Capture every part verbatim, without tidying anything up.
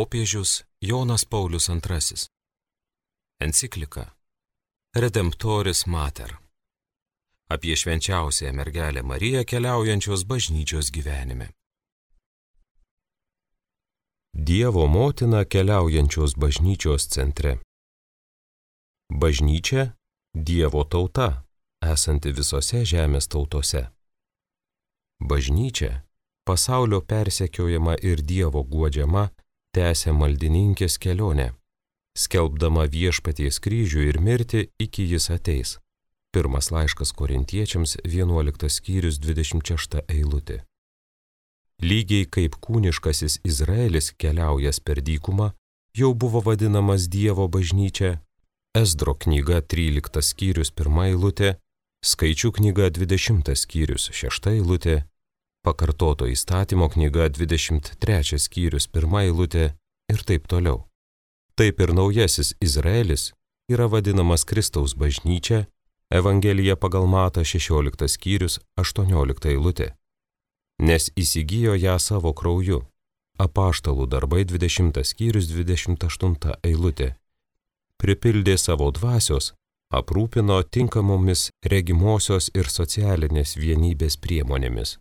Popiežius Jonas Paulius antrasis. Enciklika Redemptoris Mater. Apie švenčiausiąją mergelę Mariją keliaujančios bažnyčios gyvenime. Dievo motina keliaujančios bažnyčios centre. Bažnyčia – Dievo tauta, esanti visose žemės tautose. Bažnyčia – pasaulio persekiojama ir Dievo guodžiama, tęsia maldininkės kelionę, skelbdama viešpaties kryžių ir mirtį iki jis ateis. Pirmas laiškas Korintiečiams, vienuoliktas skyrius, dvidešimt šešta eilutė. Lygiai kaip kūniškasis Izraelis keliaujas per dykumą, jau buvo vadinamas Dievo bažnyčia, Ezdro knyga tryliktas skyrius, pirma eilutė, Skaičių knyga dvidešimtas skyrius, šešta eilutė, Pakartoto įstatymo knyga dvidešimt trečias skyrius, pirma eilutė ir taip toliau. Taip ir naujasis Izraelis yra vadinamas Kristaus bažnyčia, Evangelija pagal Matą šešioliktas skyrius, aštuoniolikta eilutė. Nes įsigijo ją savo krauju. Apaštalų darbai dvidešimtas skyrius, dvidešimt aštunta eilutė. Pripildė savo dvasios, aprūpino tinkamomis regimosios ir socialinės vienybės priemonėmis.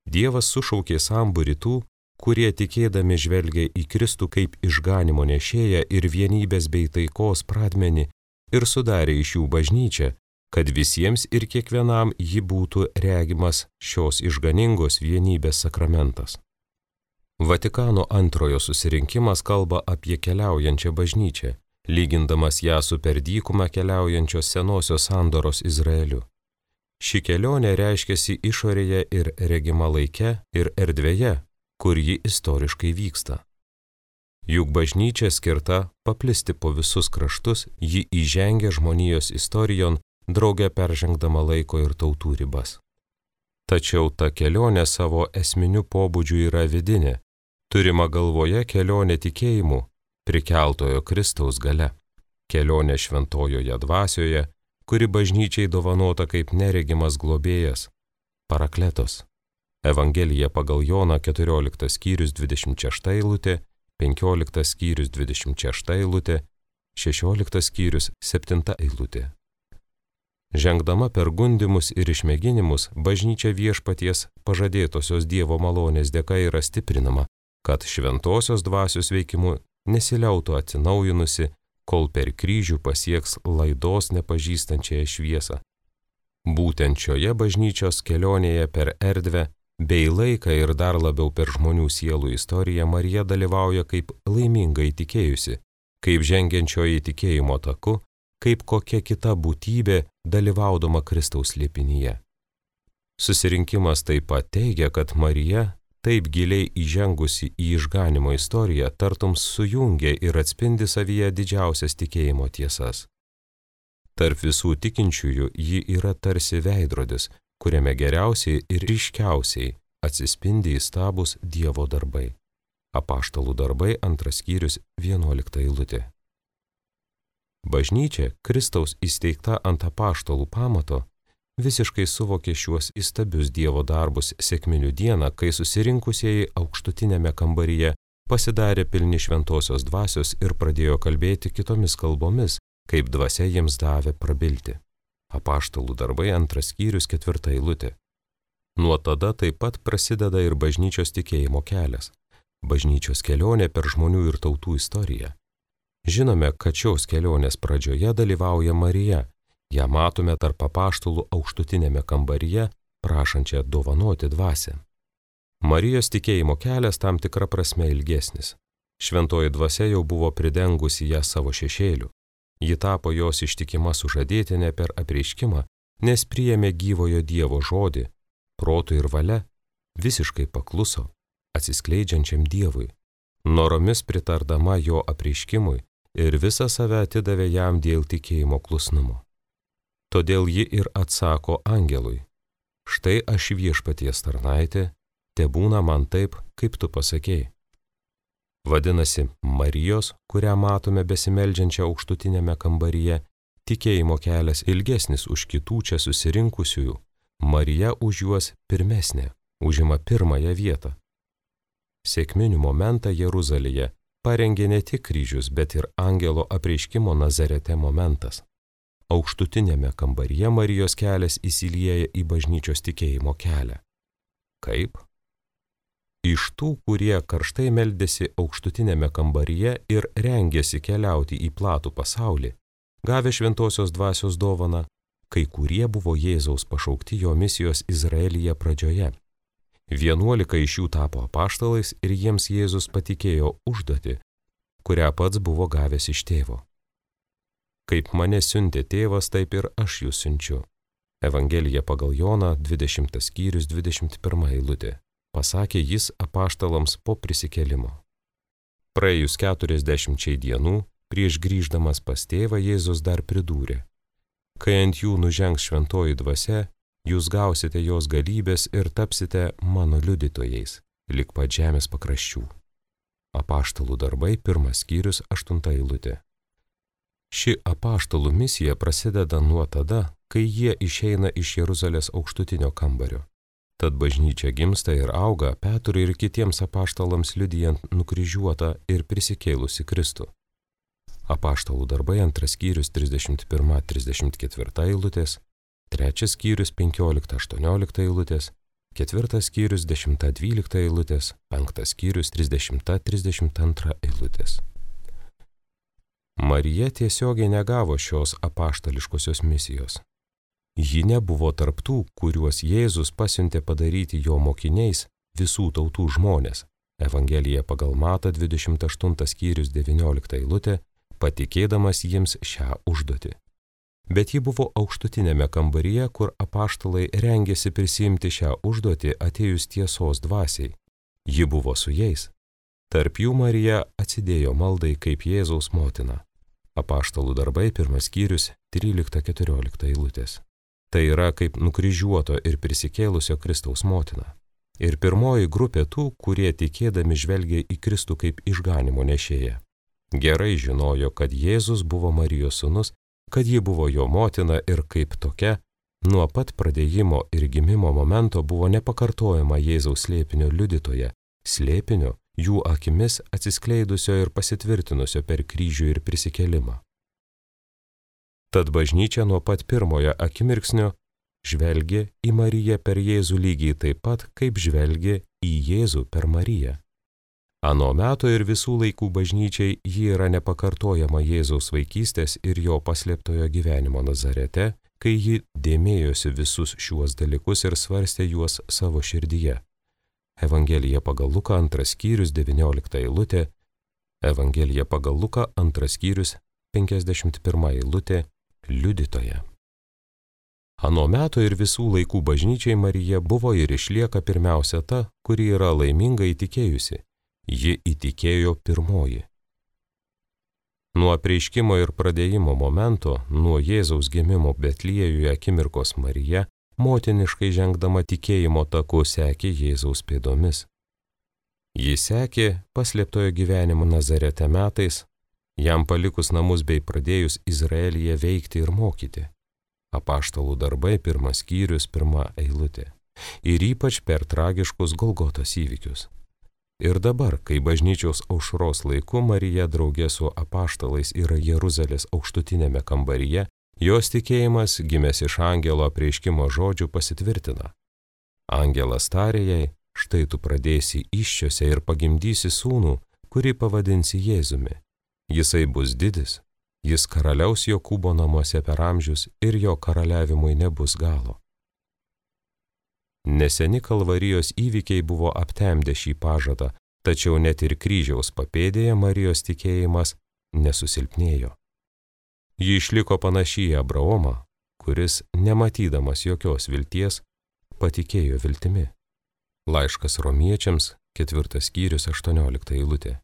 Dievas sušaukė sambūrį tų, kurie tikėdami žvelgia į Kristų kaip išganymo nešėją ir vienybės bei taikos pradmenį ir sudarė iš jų bažnyčią, kad visiems ir kiekvienam ji būtų regimas šios išganingos vienybės sakramentas. Vatikano antrojo susirinkimas kalba apie keliaujančią bažnyčią, lygindamas ją su per dykumą keliaujančios senosios sandoros Izraeliu. Ši kelionė reiškiasi išorėje ir regima laike ir erdvėje, kur ji istoriškai vyksta. Juk bažnyčia skirta paplisti po visus kraštus, ji įžengia žmonijos istorijon, drauge peržengdama laiko ir tautų ribas. Tačiau ta kelionė savo esminiu pobūdžiu yra vidinė, turima galvoje kelionė tikėjimu, prikeltojo Kristaus gale, kelionė šventojoje dvasioje, kuri bažnyčiai dovanota kaip neregimas globėjas, parakletos. Evangelija pagal Joną keturioliktas skyrius dvidešimt šešta eilutė, penkioliktas skyrius dvidešimt šešta eilutė, šešioliktas skyrius septinta eilutė. Žengdama per gundymus ir išmėginimus, bažnyčia viešpaties pažadėtosios Dievo malonės dėka yra stiprinama, kad šventosios dvasios veikimu nesiliautų atsinaujinusi, kol per kryžių pasieks laidos nepažįstančiąją šviesą. Būtent šioje bažnyčios kelionėje per erdvę, bei laiką ir dar labiau per žmonių sielų istoriją Marija dalyvauja kaip laimingai tikėjusi, kaip žengiančioji tikėjimo taku, kaip kokia kita būtybė dalyvaudama Kristaus slėpinyje. Susirinkimas taip pat teigia, kad Marija, taip giliai įžengusi į išganimo istoriją, tartum sujungia ir atspindi savyje didžiausias tikėjimo tiesas. Tarp visų tikinčiųjų ji yra tarsi veidrodis, kuriame geriausiai ir ryškiausiai atsispindi įstabūs Dievo darbai. Apaštalų darbai antras skyrius vienuolikta eilutė. Bažnyčia, Kristaus įsteigta ant apaštalų pamato, visiškai suvokė šiuos įstabius Dievo darbus sekminių dieną, kai susirinkusieji aukštutinėme kambaryje pasidarė pilni šventosios dvasios ir pradėjo kalbėti kitomis kalbomis, kaip dvasia jiems davė prabilti. Apaštalų darbai antras skyrius ketvirta eilutė. Nuo tada taip pat prasideda ir bažnyčios tikėjimo kelias, bažnyčios kelionė per žmonių ir tautų istoriją. Žinome, kad šios kelionės pradžioje dalyvauja Marija. Ją matome tarp apaštalų aukštutinėme kambaryje, prašančią dovanoti dvasią. Marijos tikėjimo kelias tam tikra prasme ilgesnis. Šventoji dvasia jau buvo pridengusi ją savo šešėliu. Ji tapo jos ištikima sužadėtinė per apreiškimą, nes priėmė gyvojo Dievo žodį, protu ir valia, visiškai pakluso, atsiskleidžiančiam Dievui, noromis pritardama jo apreiškimui ir visą save atidavė jam dėl tikėjimo klusnumo. Todėl ji ir atsako angelui, štai aš viešpaties tarnaitė, tebūna man taip, kaip tu pasakei. Vadinasi, Marijos, kurią matome besimeldžiančią aukštutinėme kambaryje, tikėjimo kelias ilgesnis už kitų čia susirinkusiųjų, Marija už juos pirmesnė, užima pirmąją vietą. Sėkminių momentą Jeruzalėje parengė ne tik kryžius, bet ir angelo apreiškimo Nazarete momentas. Aukštutinėme kambaryje Marijos kelias įsilieja į bažnyčios tikėjimo kelią. Kaip? Iš tų, kurie karštai meldėsi aukštutinėme kambaryje ir rengėsi keliauti į platų pasaulį, gavę šventosios dvasios dovaną, kai kurie buvo Jėzaus pašaukti jo misijos Izraelyje pradžioje. Vienuolika iš jų tapo apaštalais ir jiems Jėzus patikėjo užduotį, kurią pats buvo gavęs iš tėvo. Kaip mane siuntė tėvas, taip ir aš jūs siunčiu. Evangelija pagal Joną, dvidešimtas skyrius, dvidešimt pirma eilutė. Pasakė jis apaštalams po prisikėlimo. Praėjus keturiasdešimčiai dienų, prieš grįždamas pas tėvą, Jėzus dar pridūrė: kai ant jų nužengs šventoji dvasia, jūs gausite jos galybės ir tapsite mano liudytojais, lig pat žemės pakraščių. Apaštalų darbai, pirmas skyrius, aštunta eilutė. Ši apaštalų misija prasideda nuo tada, kai jie išeina iš Jeruzalės aukštutinio kambario. Tad bažnyčia gimsta ir auga Petrui ir kitiems apaštalams liudijant nukryžiuotą ir prisikėlusi Kristų. Apaštalų darbai, antras skyrius, trisdešimt pirma trisdešimt ketvirta eilutės, trečias skyrius, penkiolikta aštuoniolikta eilutės, ketvirtas skyrius, dešimta dvylikta eilutės, penktas skyrius, trisdešimta trisdešimt antra eilutės. Marija tiesiogiai negavo šios apaštališkosios misijos. Ji nebuvo tarptų, kuriuos Jėzus pasiuntė padaryti jo mokiniais visų tautų žmonės. Evangelija pagal Matą, dvidešimt aštuntas skyrius, devyniolikta eilutė, patikėdamas jiems šią užduotį. Bet ji buvo aukštutinėme kambaryje, kur apaštalai rengėsi prisiimti šią užduotį atėjus tiesos dvasiai. Ji buvo su jais. Tarp jų Marija atsidėjo maldai kaip Jėzaus motina. Apaštalų darbai, pirmas skyrius, trylikta keturiolikta eilutės. Tai yra kaip nukryžiuoto ir prisikėlusio Kristaus motina. Ir pirmoji grupė tų, kurie tikėdami žvelgė į Kristų kaip išganimo nešėją. Gerai žinojo, kad Jėzus buvo Marijos sūnus, kad ji buvo jo motina ir kaip tokia, nuo pat pradėjimo ir gimimo momento buvo nepakartojama Jėzaus slėpinio liudytoja, slėpinio jų akimis atsiskleidusio ir pasitvirtinusio per kryžių ir prisikėlimą. Tad bažnyčia nuo pat pirmojo akimirksnio žvelgė į Mariją per Jėzų lygiai taip pat, kaip žvelgė į Jėzų per Mariją. Ano meto ir visų laikų bažnyčiai ji yra nepakartojama Jėzaus vaikystės ir jo paslėptojo gyvenimo Nazarete, kai ji dėmėjosi visus šiuos dalykus ir svarstė juos savo širdyje. Evangelija pagal Luką, antras skyrius, devyniolikta eilutė, Evangelija pagal Luką, antras skyrius, penkiasdešimt pirma eilutė, liudytoja. Ano meto ir visų laikų bažnyčiai Marija buvo ir išlieka pirmiausia ta, kuri yra laiminga įtikėjusi. Ji įtikėjo pirmoji. Nuo apreiškimo ir pradėjimo momento, nuo Jėzaus gimimo Betliejuje akimirkos Marija, motiniškai žengdama tikėjimo taku sekė Jėzaus pėdomis. Ji sekė paslėptojo gyvenimo Nazarete metais, jam palikus namus bei pradėjus Izraelyje veikti ir mokyti. Apaštalų darbai, pirmas skyrius, pirma eilutė. Ir ypač per tragiškus Golgotos įvykius. Ir dabar, kai bažnyčios aušros laiku Marija draugė su apaštalais yra Jeruzalės aukštutinėme kambaryje, jos tikėjimas, gimęs iš angelo apreiškimo žodžių, pasitvirtina. Angelas tarė jai: štai tu pradėsi įsčiose ir pagimdysi sūnų, kurį pavadinsi Jėzumi. Jisai bus didis, jis karaliaus Jokūbo namuose per amžius ir jo karaliavimui nebus galo. Neseni Kalvarijos įvykiai buvo aptemdę šį pažadą, tačiau net ir kryžiaus papėdėje Marijos tikėjimas nesusilpnėjo. Ji išliko panaši į Abraomą, kuris, nematydamas jokios vilties, patikėjo viltimi. Laiškas Romiečiams, ketvirtas skyrius, aštuoniolikta eilutė.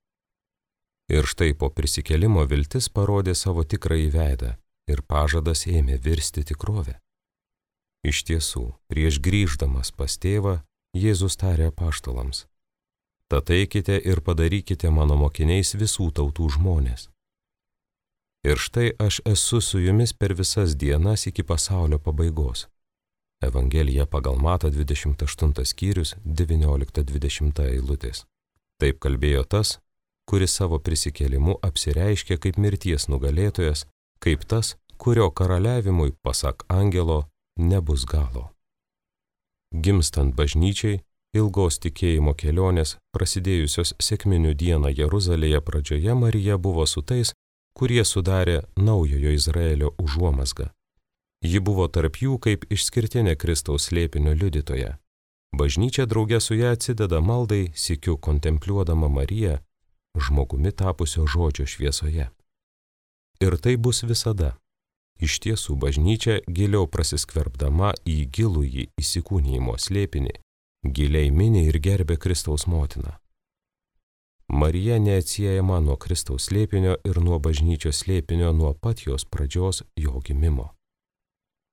Ir štai po prisikėlimo viltis parodė savo tikrąjį veidą ir pažadas ėmė virsti tikrovę. Iš tiesų, prieš grįždamas pas tėvą, Jėzus tarė apaštalams: tad eikite ir padarykite mano mokiniais visų tautų žmonės. Ir štai aš esu su jumis per visas dienas iki pasaulio pabaigos. Evangelija pagal Matą, dvidešimt aštuntas skyrius, devyniolikta dvidešimta eilutės. Taip kalbėjo tas, kuris savo prisikėlimu apsireiškė kaip mirties nugalėtojas, kaip tas, kurio karaliavimui, pasak angelo, nebus galo. Gimstant bažnyčiai, ilgos tikėjimo kelionės, prasidėjusios sekminių dieną Jeruzalėje pradžioje, Marija buvo su tais, kurie sudarė naujojo Izraelio užuomazgą. Ji buvo tarp jų kaip išskirtinė Kristaus slėpinio liudytoja. Bažnyčia drauge su ją atsideda maldai, sykiu kontempliuodama Mariją, žmogumi tapusio žodžio šviesoje. Ir tai bus visada. Iš tiesų bažnyčia giliau prasiskverbdama į gilųjį įsikūnijimo slėpinį, giliai mini ir gerbė Kristaus motiną. Marija neatsiejama nuo Kristaus slėpinio ir nuo bažnyčios slėpinio nuo pat jos pradžios jo gimimo.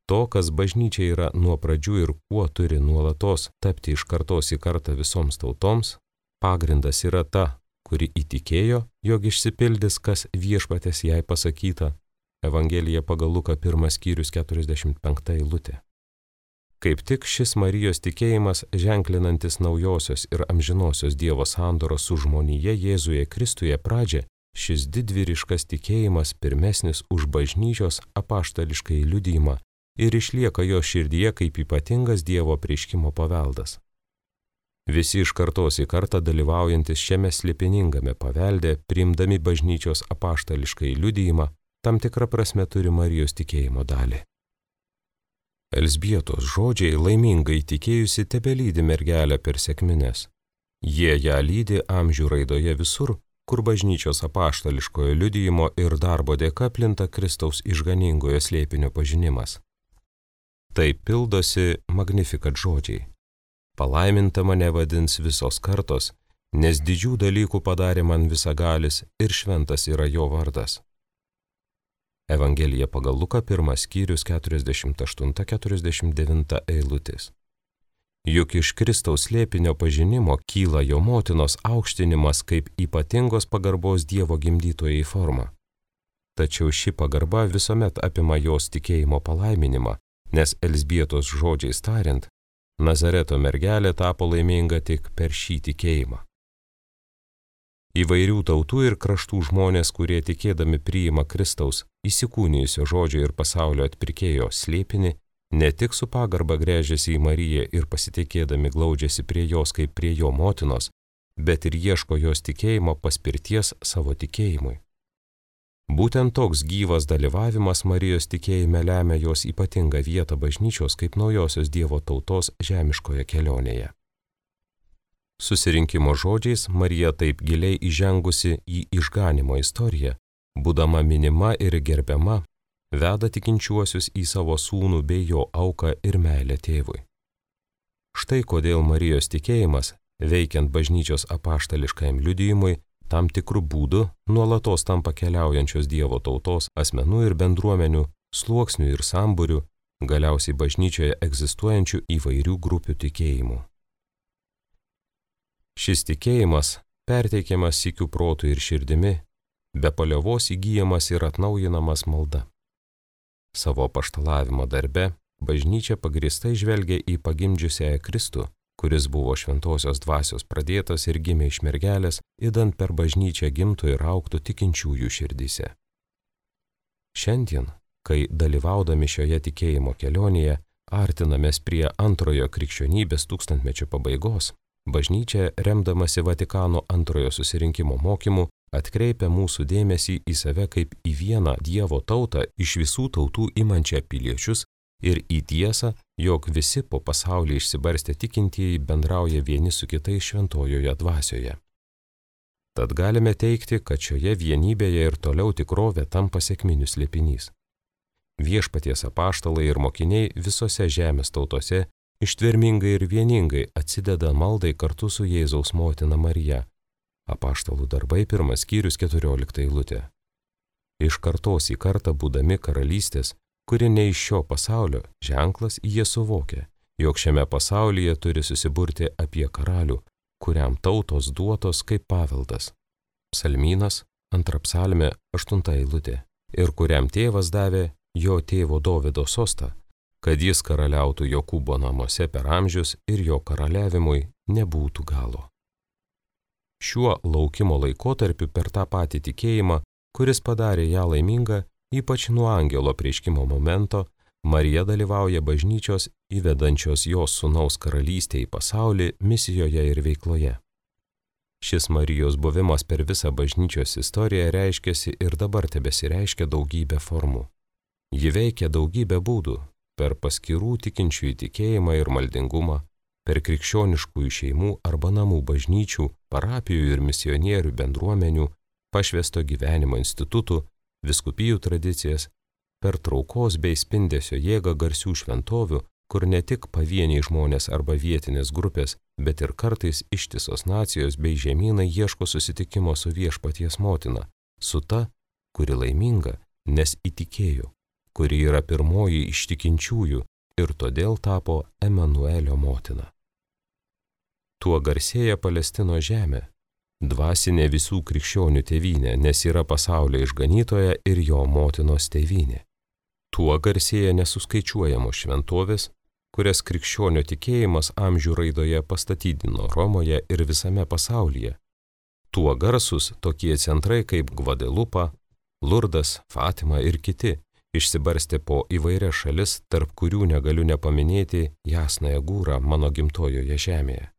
To, kas bažnyčia yra nuo pradžių ir kuo turi nuolatos tapti iš kartos į kartą visoms tautoms, pagrindas yra ta, kuri įtikėjo, jog išsipildys, kas viešpatės jai pasakyta. Evangelija pagal Luką pirmas skyrius keturiasdešimt penkta eilutė. Kaip tik šis Marijos tikėjimas, ženklinantis naujosios ir amžinosios Dievo sandoros su žmonija Jėzuje Kristuje pradžią, šis didvyriškas tikėjimas pirmesnis už bažnyčios apaštališkai liudijimą ir išlieka jo širdyje kaip ypatingas Dievo apreiškimo paveldas. Visi iš kartos į kartą dalyvaujantis šiame slėpiningame pavelde, priimdami bažnyčios apaštališkai liudijimą, tam tikrą prasme turi Marijos tikėjimo dalį. Elzbietos žodžiai laimingai tikėjusi tebelydi mergelę per sekmines. Jie ją lydi amžių raidoje visur, kur bažnyčios apaštališkojo liudijimo ir darbo dėka plinta Kristaus išganingojo slėpinio pažinimas. Taip pildosi Magnificat žodžiai. Palaiminta mane vadins visos kartos, nes didžių dalykų padarė man visagalis ir šventas yra jo vardas. Evangelija pagal Luką pirmas skyrius keturiasdešimt aštunta keturiasdešimt devinta eilutės. Juk iš Kristaus slėpinio pažinimo kyla jo motinos aukštinimas kaip ypatingos pagarbos Dievo gimdytojai forma. Tačiau ši pagarba visuomet apima jos tikėjimo palaiminimą, nes Elzbietos žodžiais tariant, Nazareto mergelė tapo laiminga tik per šį tikėjimą. Įvairių tautų ir kraštų žmonės, kurie tikėdami priima Kristaus įsikūnijusio žodžio ir pasaulio atpirkėjo slėpinį, ne tik su pagarba gręžiasi į Mariją ir pasitikėdami glaudžiasi prie jos kaip prie jo motinos, bet ir ieško jos tikėjimo paspirties savo tikėjimui. Būtent toks gyvas dalyvavimas Marijos tikėjime lemia jos ypatingą vietą bažnyčios kaip naujosios Dievo tautos žemiškoje kelionėje. Susirinkimo žodžiais Marija taip giliai įžengusi į išganimo istoriją, būdama minima ir gerbiama, veda tikinčiuosius į savo sūnų bei jo auką ir meilę tėvui. Štai kodėl Marijos tikėjimas, veikiant bažnyčios apaštališkajam liudijimui, tam tikrų būdų nuolatos tampa keliaujančios Dievo tautos asmenų ir bendruomenių, sluoksnių ir sambūrių, galiausiai bažnyčioje egzistuojančių įvairių grupių tikėjimų. Šis tikėjimas, perteikiamas sykiu protu ir širdimi, be paliovos įgyjamas ir atnaujinamas malda. Savo apaštalavimo darbe bažnyčia pagrįstai žvelgia į pagimdžiusiąją Kristų, kuris buvo šventosios dvasios pradėtas ir gimė iš mergelės, idant per bažnyčią gimtų ir augtų tikinčiųjų širdyse. Šiandien, kai dalyvaudami šioje tikėjimo kelionėje artinamės prie antrojo krikščionybės tūkstantmečio pabaigos, bažnyčia, remdamasi Vatikano antrojo susirinkimo mokymu, atkreipia mūsų dėmesį į save kaip į vieną Dievo tautą iš visų tautų imančią piliečius ir į tiesą, jog visi po pasaulį išsibarstę tikintieji bendrauja vieni su kitais šventojoje dvasioje. Tad galime teigti, kad šioje vienybėje ir toliau tikrovė tampa sekminių slėpinys. Viešpaties apaštalai ir mokiniai visose žemės tautose ištvermingai ir vieningai atsideda maldai kartu su Jėzaus motina Marija. Apaštalų darbai pirmas skyrius keturiolikta eilutė. Iš kartos į kartą būdami karalystės, kuri ne iš šio pasaulio, ženklas jie suvokia, jog šiame pasaulyje turi susiburti apie karalių, kuriam tautos duotos kaip paveldas. Psalmynas, antra psalmė, aštunta eilutė. Ir kuriam tėvas davė jo tėvo Dovydo sostą, kad jis karaliautų Jokūbo namuose per amžius ir jo karaliavimui nebūtų galo. Šiuo laukimo laikotarpiu per tą patį tikėjimą, kuris padarė ją laimingą, ypač nuo angelo apreiškimo momento, Marija dalyvauja bažnyčios įvedančios jos sūnaus karalystę į pasaulį misijoje ir veikloje. Šis Marijos buvimas per visą bažnyčios istoriją reiškiasi ir dabar tebesireiškia daugybę formų. Ji veikia daugybę būdų – per paskirų tikinčiųjų tikėjimą ir maldingumą, per krikščioniškųjų šeimų arba namų bažnyčių, parapijų ir misionierių bendruomenių, pašvęsto gyvenimo institutų, vyskupijų tradicijas, per traukos bei spindesio jėgą garsių šventovių, kur ne tik pavieniai žmonės arba vietinės grupės, bet ir kartais ištisos nacijos bei žemynai ieško susitikimo su viešpaties motina, su ta, kuri laiminga, nes įtikėjo, kuri yra pirmoji iš tikinčiųjų ir todėl tapo Emanuelio motina. Tuo garsėja Palestino žemė, dvasinė visų krikščionių tėvynė, nes yra pasaulio išganytoja ir jo motinos tėvynė. Tuo garsėja nesuskaičiuojamos šventovės, kurias krikščionio tikėjimas amžių raidoje pastatydino Romoje ir visame pasaulyje. Tuo garsus tokie centrai kaip Gvadelupa, Lurdas, Fatima ir kiti išsibarstė po įvairias šalis, tarp kurių negaliu nepaminėti Jasnąją Gūrą mano gimtojoje žemėje.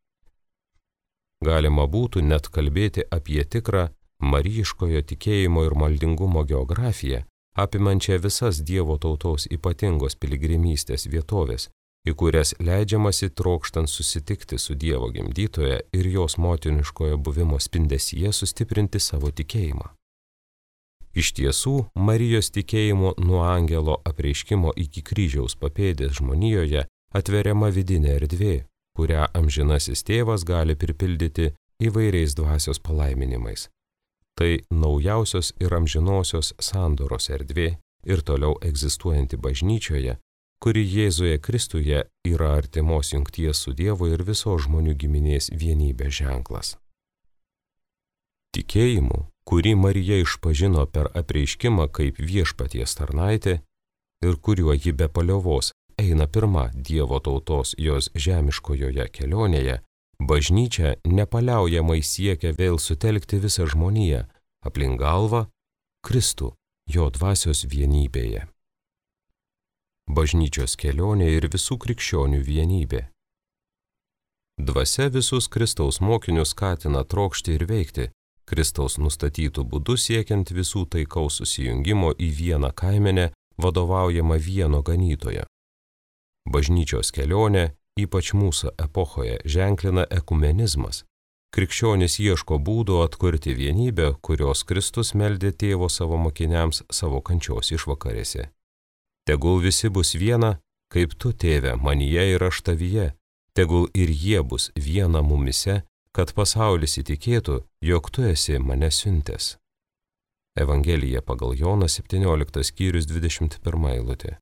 Galima būtų net kalbėti apie tikrą marijiškojo tikėjimo ir maldingumo geografiją, apimančią visas Dievo tautos ypatingos piligrimystės vietovės, į kurias leidžiamasi trokštant susitikti su Dievo gimdytoja ir jos motiniškojo buvimo spindesyje sustiprinti savo tikėjimą. Iš tiesų, Marijos tikėjimo nuo angelo apreiškimo iki kryžiaus papėdės žmonijoje atveriama vidinė erdvė, kurią amžinasis tėvas gali pripildyti įvairiais dvasios palaiminimais. Tai naujausios ir amžinosios sandoros erdvė ir toliau egzistuojanti bažnyčioje, kuri Jėzuje Kristuje yra artimos jungties su Dievu ir visos žmonių giminės vienybės ženklas. Tikėjimu, kurį Marija išpažino per apreiškimą kaip viešpaties tarnaitė ir kuriuo ji be paliovos eina pirma Dievo tautos jos žemiškojoje kelionėje, bažnyčia nepaliaujamai siekia vėl sutelkti visą žmoniją aplink galvą Kristų, jo dvasios vienybėje. Bažnyčios kelionė ir visų krikščionių vienybė. Dvasia visus Kristaus mokinius skatina trokšti ir veikti, Kristaus nustatytų būdų siekiant visų taikaus susijungimo į vieną kaimenę, vadovaujama vieno ganytojo. Bažnyčios kelionė, ypač mūsų epochoje, ženklina ekumenizmas. Krikščionys ieško būdų atkurti vienybę, kurios Kristus meldė tėvo savo mokiniams savo kančios išvakarėse. Tegul visi bus viena, kaip tu, tėve, manyje ir aš tavyje, tegul ir jie bus viena mumise, kad pasaulis įtikėtų, jog tu esi mane siuntęs. Evangelija pagal Joną septynioliktas skyrius dvidešimt pirma eilutė.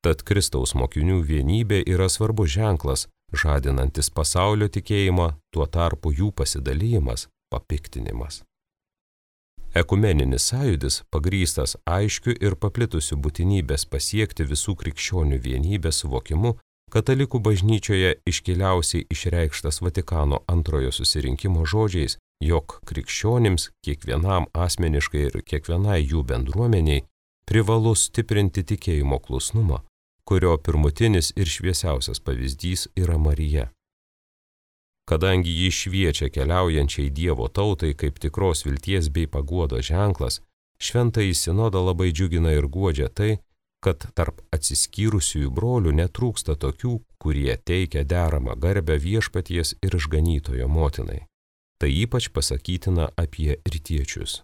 Tad Kristaus mokinių vienybė yra svarbus ženklas, žadinantis pasaulio tikėjimą, tuo tarpu jų pasidalymas – papiktinimas. Ekumeninis sąjūdis pagrįstas aiškiu ir paplitusiu būtinybės pasiekti visų krikščionių vienybės suvokimu, katalikų bažnyčioje iškiliausiai išreikštas Vatikano antrojo susirinkimo žodžiais, jog krikščionims, kiekvienam asmeniškai ir kiekvienai jų bendruomeniai, privalu stiprinti tikėjimo klusnumą, kurio pirmutinis ir šviesiausias pavyzdys yra Marija. Kadangi ji šviečia keliaujančiai Dievo tautai kaip tikros vilties bei paguodos ženklas, šventąjį sinodą labai džiugina ir guodžia tai, kad tarp atsiskyrusiųjų brolių netrūksta tokių, kurie teikia deramą garbę viešpaties ir išganytojo motinai. Tai ypač pasakytina apie rytiečius.